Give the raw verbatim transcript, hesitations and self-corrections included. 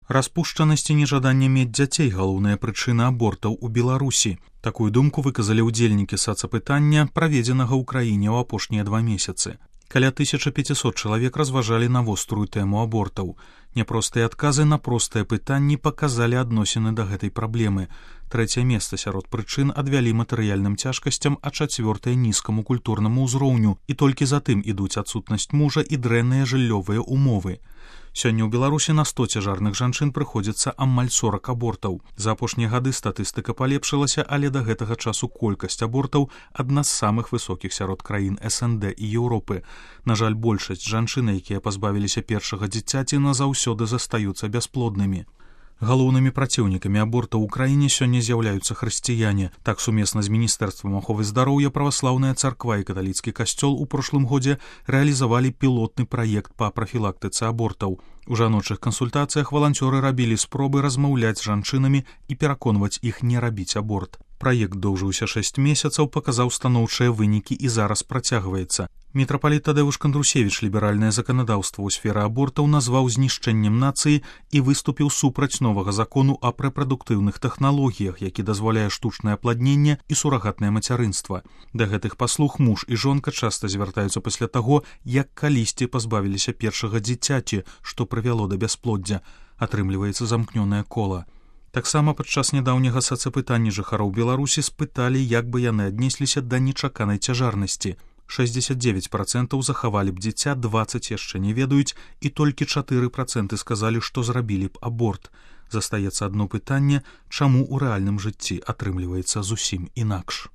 Распушчанасць і нежаданне мець дзяцей – галоўная прычына абортаў у Беларусі. Такую думку выказалі ўдзельнікі сацапытання, праведзенага ў краіне ў апошнія два месяцы. Каля тысяча пятьсот чалавек разважалі на вострую тэму абортаў. Няпростыя адказы на простыя пытанні паказалі адносіны да гэтай праблемы. Трэцяе месца сярод прычын адвялі матэрыяльным цяжкасцям, а чацвёртае нізкаму культурнаму ўзроўню, і толькі затым ідуць адсутнасць мужа і дрэнныя жыллёвыя умовы. Сёння ў Беларусі на сто цяжарных жанчын прыходзіцца амаль сорак абортаў. За апошнія гады статыстыка палепшылася, але да гэтага часу колькасць абортаў адна з самых высокіх сярод краін эс эн дэ і Еўропы. На жаль, большасць жанчын, якія пазбавіліся першага дзіцяці, назаўсёды застаюцца бясплоднымі. Галоўнымі праціўнікамі абортаў у краіне сёння з'яўляюцца хрысціяне. Так, сумесна з Міністэрствам аховы здароўя праваслаўная царква і каталіцкі касцёл у прошлым годзе рэалізавалі пілотны праект па прафілактыцы абортаў. У жаночых кансультацыях валанцёры рабілі спробы размаўляць з жанчынамі і пераконваць іх не рабіць аборт. Праект доўжыўся шэсць месяцаў, паказаў станоўчыя вынікі і зараз працягваецца. Мітрапаліт Тадэвуш Кандрусевіч ліберальнае заканадаўства ў сферы абортаў назваў знішчэннем нацыі і выступіў супраць новага закону аб рэпрадуктыўных тэхналогіях, які дазваляе штучнае апладненне і сурагатнае мацярынства. Да гэтых паслуг муж і жонка часта звяртаюцца пасля таго, як калісьці пазбавіліся першага дзіцяці, што прывяло да бясплоддзя. Атрымліваецца замкнёнае кола. Таксама падчас нядаўняга сацапытання жыхароў Беларусі спыталі, як бы яны аднесліся да нечаканай цяжарнасці. шэсцьдзесят девять процентаў захавалі б дзіця, дваццаць яшчэ не ведаюць, і толькі чатыры працэнты сказалі, што зрабілі б аборт. Застаецца адно пытанне, чаму ў рэальным жыцці атрымліваецца зусім інакш.